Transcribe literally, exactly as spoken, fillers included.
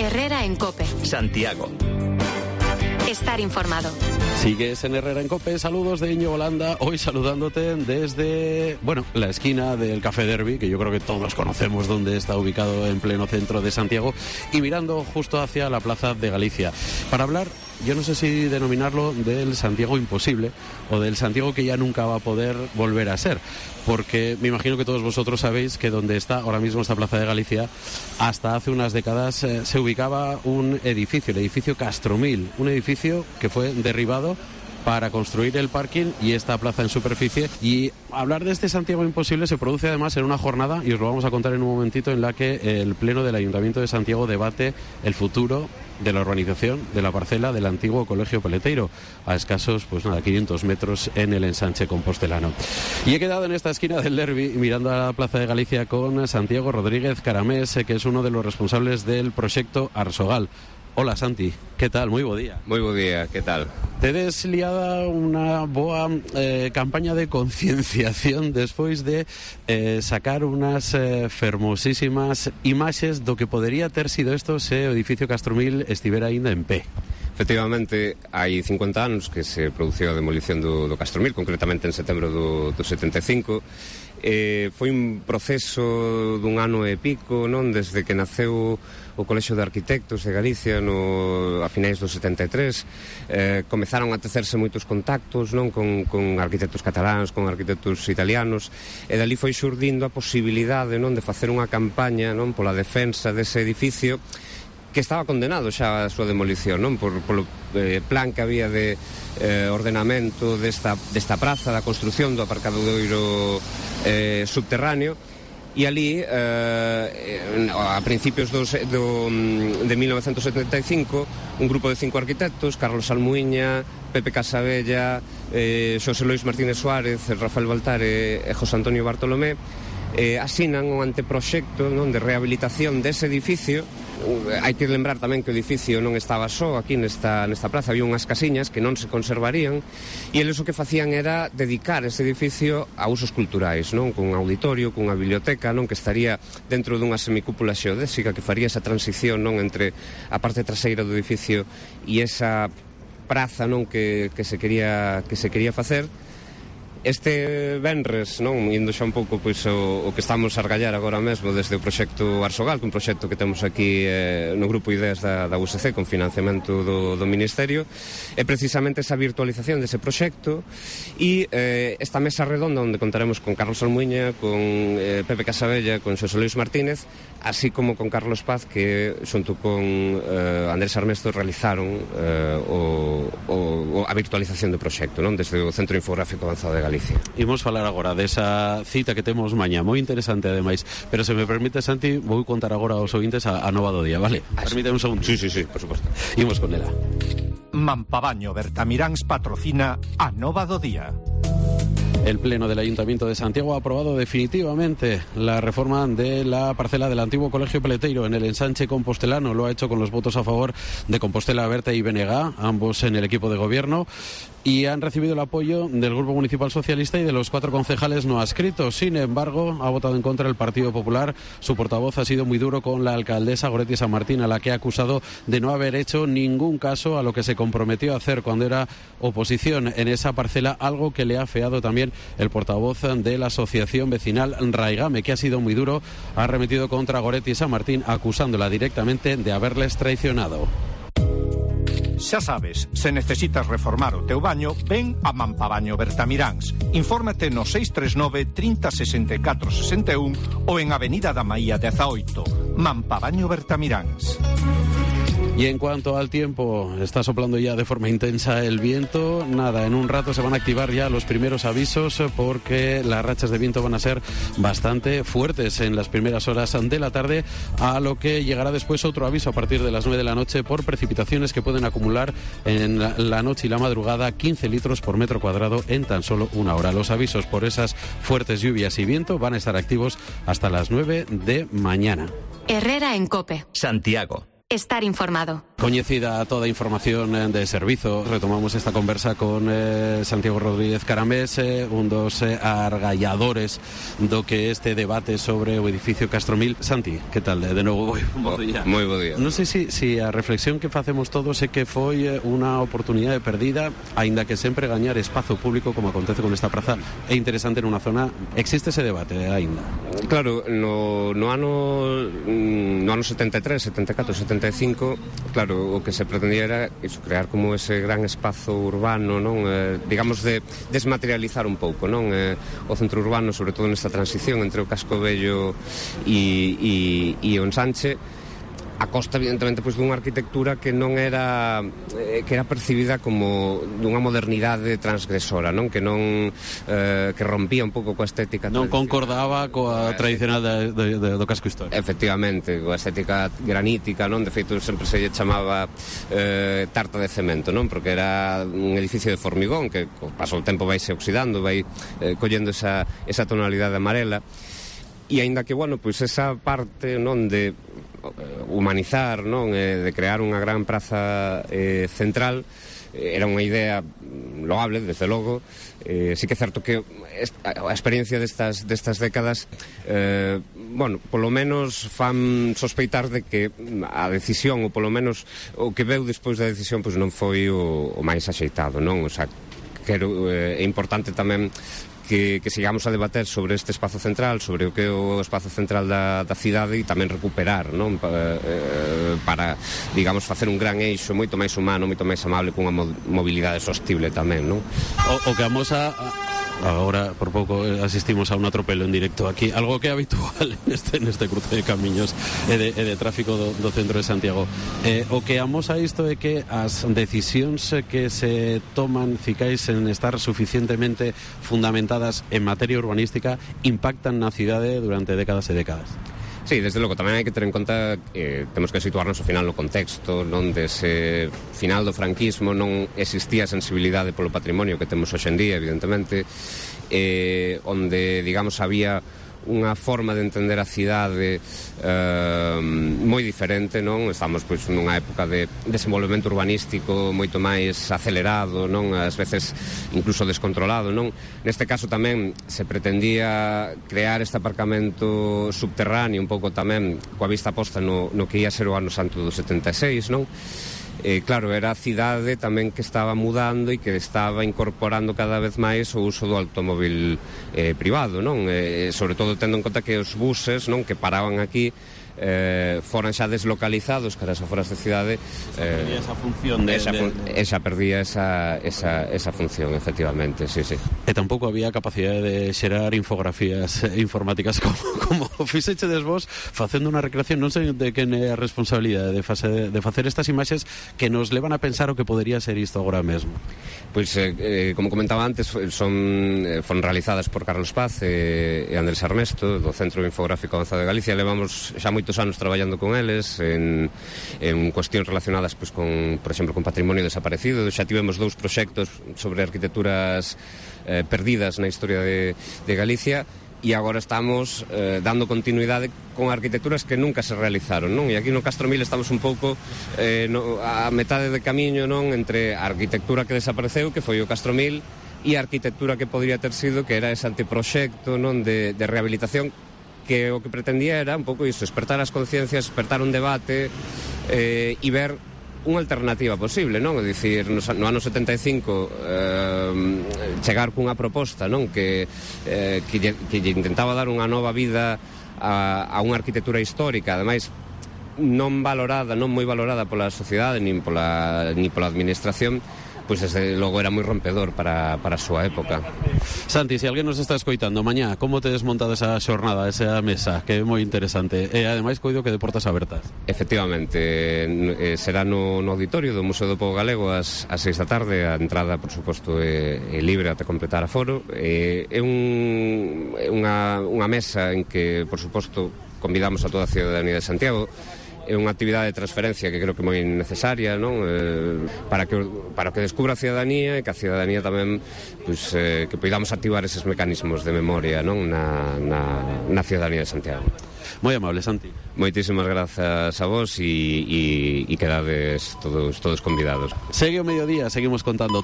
Herrera en COPE. Santiago. Estar informado. Sigues en Herrera en COPE, saludos de Íñigo Holanda, hoy saludándote desde, bueno, la esquina del Café Derby, que yo creo que todos conocemos dónde está ubicado en pleno centro de Santiago, y mirando justo hacia la Plaza de Galicia, para hablar, yo no sé si denominarlo del Santiago imposible, o del Santiago que ya nunca va a poder volver a ser, porque me imagino que todos vosotros sabéis que donde está ahora mismo esta Plaza de Galicia, hasta hace unas décadas eh, se ubicaba un edificio, el edificio Castromil, un edificio que fue derribado para construir el parking y esta plaza en superficie. Y hablar de este Santiago imposible se produce además en una jornada, y os lo vamos a contar en un momentito, en la que el Pleno del Ayuntamiento de Santiago debate el futuro de la urbanización de la parcela del antiguo Colegio Peleteiro, a escasos, pues nada, quinientos metros en el ensanche compostelano. Y he quedado en esta esquina del Derby mirando a la Plaza de Galicia con Santiago Rodríguez Caramés, que es uno de los responsables del proyecto Arsogal. Hola Santi, que tal? Moi bo día. Moi bo día, que tal? Tedes liada unha boa eh, campaña de concienciación despois de eh, sacar unas eh, fermosísimas imaxes do que podería ter sido isto se o edificio Castromil estivera ainda en pé. Efectivamente, hai cincuenta anos que se produciu a demolición do, do Castromil, concretamente en setembro do, do setenta e cinco. Eh, foi un proceso dun ano e pico, non? Desde que naceu o Colexio de Arquitectos de Galicia no, a finais do setenta e tres, eh, comezaron a tecerse moitos contactos, non? Con, con arquitectos cataláns, con arquitectos italianos, e dali foi xurdindo a posibilidade, non? De facer unha campaña, non? Pola defensa dese edificio que estaba condenado xa a súa demolición, non? Por, polo eh, plan que había de eh, ordenamento desta, desta praza, da construción do aparcadoiro eh, subterráneo, e ali, eh, a principios dos, do, de mil novecentos setenta e cinco, un grupo de cinco arquitectos, Carlos Almuiña, Pepe Casabella, eh, Xosé Lois Martínez Suárez, Rafael Baltare e José Antonio Bartolomé, eh, asinan un anteproxecto, non? De rehabilitación dese edificio. Hai que lembrar tamén que o edificio non estaba só aquí nesta, nesta praza, había unhas casiñas que non se conservarían, e eles o que facían era dedicar ese edificio a usos culturais, non? Cun auditorio, cunha biblioteca, non? Que estaría dentro dunha semicúpula xeodésica que faría esa transición, non? Entre a parte traseira do edificio e esa praza, non? Que, que, se quería, que se quería facer. Este venres, non, indo xa un pouco pois, o, o que estamos a argallar agora mesmo desde o proxecto Arsogal, que é un proxecto que temos aquí eh, no Grupo Ideas da, da U S C con financiamento do, do Ministerio, é precisamente esa virtualización dese proxecto e eh, esta mesa redonda onde contaremos con Carlos Almuiña, con eh, Pepe Casabella, con Xosé Luis Martínez, así como con Carlos Paz, que xunto con eh, Andrés Armesto realizaron eh, o, o, a virtualización do proxecto, non? Desde o Centro Infográfico Avanzado de Galicia. Imos falar agora desa cita que temos mañá, moi interesante ademais, pero se me permite, Santi, vou contar agora aos ouvintes a, a nova do día, vale? Ah, permíteme un segundo. Sí, sí, sí, por suposto. Imos con ela. Mampabaño Bertamiráns patrocina a nova do día. El Pleno del Ayuntamiento de Santiago ha aprobado definitivamente la reforma de la parcela del antiguo Colegio Peleteiro en el ensanche compostelano. Lo ha hecho con los votos a favor de Compostela Berta y Benegá, ambos en el equipo de gobierno, y han recibido el apoyo del Grupo Municipal Socialista y de los cuatro concejales no adscritos. Sin embargo, ha votado en contra el Partido Popular. Su portavoz ha sido muy duro con la alcaldesa Goretti San Martín, a la que ha acusado de no haber hecho ningún caso a lo que se comprometió a hacer cuando era oposición en esa parcela, algo que le ha afeado también el portavoz de la asociación vecinal Raigame, que ha sido muy duro, ha arremetido contra Goretti San Martín, acusándola directamente de haberles traicionado. Xa sabes, se necesitas reformar o teu baño, ven a Mampabaño Bertamiráns. Infórmate no seis tres nove, trinta, sesenta e catro, sesenta e un ou en Avenida da Maía dezaoito. Mampabaño Bertamiráns. Y en cuanto al tiempo, está soplando ya de forma intensa el viento. Nada, en un rato se van a activar ya los primeros avisos porque las rachas de viento van a ser bastante fuertes en las primeras horas de la tarde, a lo que llegará después otro aviso a partir de las nueve de la noche por precipitaciones que pueden acumular en la noche y la madrugada quince litros por metro cuadrado en tan solo una hora. Los avisos por esas fuertes lluvias y viento van a estar activos hasta las nueve de mañana. Herrera en COPE. Santiago. Estar informado. Coñecida toda a información de servizo, retomamos esta conversa con eh, Santiago Rodríguez Caramés, eh, un dos eh, argalladores do que este debate sobre o edificio Castromil. Santi, que tal? De novo, bo día. Moi bo día. Non sei se si, si a reflexión que facemos todos é que foi unha oportunidade perdida, aínda que sempre gañar espazo público, como acontece con esta praza, é interesante nunha zona. Existe ese debate aínda? Claro, no, no ano no ano setenta e tres, setenta e catro, setenta e cinco, claro, o que se pretendía era iso, crear como ese gran espazo urbano, non? Eh, digamos, de desmaterializar un pouco, non? Eh, o centro urbano, sobre todo nesta transición entre o Casco Vello e, e, e o Ensanche, a costa, evidentemente, pois, dunha arquitectura que non era eh, que era percibida como dunha modernidade transgresora, non? Que non eh, que rompía un pouco coa estética non concordaba coa tradicional de, de, de, do casco histórico. Efectivamente, coa estética granítica, non? De feito, sempre se lle chamaba eh, tarta de cemento, non? Porque era un edificio de formigón que co paso do tempo vai se oxidando, vai eh, collendo esa, esa tonalidade amarela. E aínda que, bueno, pois esa parte, non, de humanizar, non, eh, de crear unha gran praza eh, central, eh, era unha idea loable, desde logo. Eh, sí que é certo que a experiencia destas, destas décadas, eh, bueno, polo menos fan sospeitar de que a decisión, ou polo menos o que veu despois da decisión, pois non foi o, o máis axeitado, non? O sea, quero, eh, é importante tamén Que, que sigamos a debater sobre este espazo central, sobre o que é o espazo central da, da cidade, e tamén recuperar, non? Pa, eh, para, digamos, facer un gran eixo moito máis humano, moito máis amable, cunha mobilidade sostible tamén, non? O, o que vamos a... Agora, por pouco, asistimos a un atropelo en directo aquí, algo que é habitual neste, neste cruce de camiños e de, e de tráfico do, do centro de Santiago. Eh, o que amosa isto é que as decisións que se toman, cicais, en estar suficientemente fundamentadas en materia urbanística, impactan na cidade durante décadas e décadas. Sí, desde logo, tamén hai que ter en conta que eh, temos que situarnos ao final no contexto, non? Dese final do franquismo non existía sensibilidade polo patrimonio que temos hoxe en día, evidentemente, eh, onde, digamos, había unha forma de entender a cidade eh, moi diferente, non? Estamos, pois, nunha época de desenvolvemento urbanístico moito máis acelerado, non? Ás veces incluso descontrolado, non? Neste caso tamén se pretendía crear este aparcamento subterráneo un pouco tamén coa vista posta no, no que ia ser o ano santo do setenta e seis, non? Eh, claro, era a cidade tamén que estaba mudando e que estaba incorporando cada vez máis o uso do automóvil eh, privado, non? Eh, sobre todo tendo en conta que os buses, non, que paraban aquí eh, foran xa deslocalizados cara as aforas de cidade, eh, perdía esa función de, esa, de... esa perdía esa, esa, esa función, efectivamente, sí, sí. E tampouco había capacidade de xerar infografías informáticas como, como fixechedes vos facendo unha recreación. Non sei de quen é a responsabilidade de, fase, de facer estas imaxes que nos levan a pensar o que podería ser isto agora mesmo. Pois, eh, eh, como comentaba antes, son, eh, foron realizadas por Carlos Paz e, e Andrés Armesto, do Centro Infográfico Avanzado de Galicia. Levamos xa moitos anos traballando con eles en, en cuestións relacionadas, pois, con, por exemplo, con patrimonio desaparecido. Xa tivemos dous proxectos sobre arquitecturas eh, perdidas na historia de, de Galicia, e agora estamos eh, dando continuidade con arquitecturas que nunca se realizaron, non? E aquí no Castromil estamos un pouco eh, no, a metade de camiño, non? Entre a arquitectura que desapareceu, que foi o Castromil, e a arquitectura que podría ter sido, que era ese anteproxecto, non? De, de rehabilitación, que o que pretendía era un pouco iso, despertar as conciencias, despertar un debate eh, e ver unha alternativa posible, non? É dicir, no, no ano setenta e cinco eh, chegar cunha proposta, non? Que, eh, que, lle, que lle intentaba dar unha nova vida a, a unha arquitectura histórica, ademais non valorada, non moi valorada pola sociedade nin pola, nin pola administración, pois desde logo era moi rompedor para, para a súa época. Santi, se alguén nos está escoitando mañá, como te desmontado esa xornada, esa mesa, que é moi interesante, e ademais coido que de portas abertas? Efectivamente, eh, será no, no auditorio do Museo do Pobo Galego ás, ás seis da tarde. A entrada, por suposto, é, é libre ata completar a foro. É, é, un, é unha, unha mesa en que, por suposto, convidamos a toda a ciudadanía de Santiago é unha actividade de transferencia que creo que é moi necesaria, non? Eh, para que para que descubra a cidadanía e que a cidadanía tamén pues, eh, que podamos activar eses mecanismos de memoria, non? Na, na, na cidadanía de Santiago. Moi amable, Santi. Moitísimas grazas a vos e, e, e quedades todos, todos convidados. Segue o mediodía, seguimos contando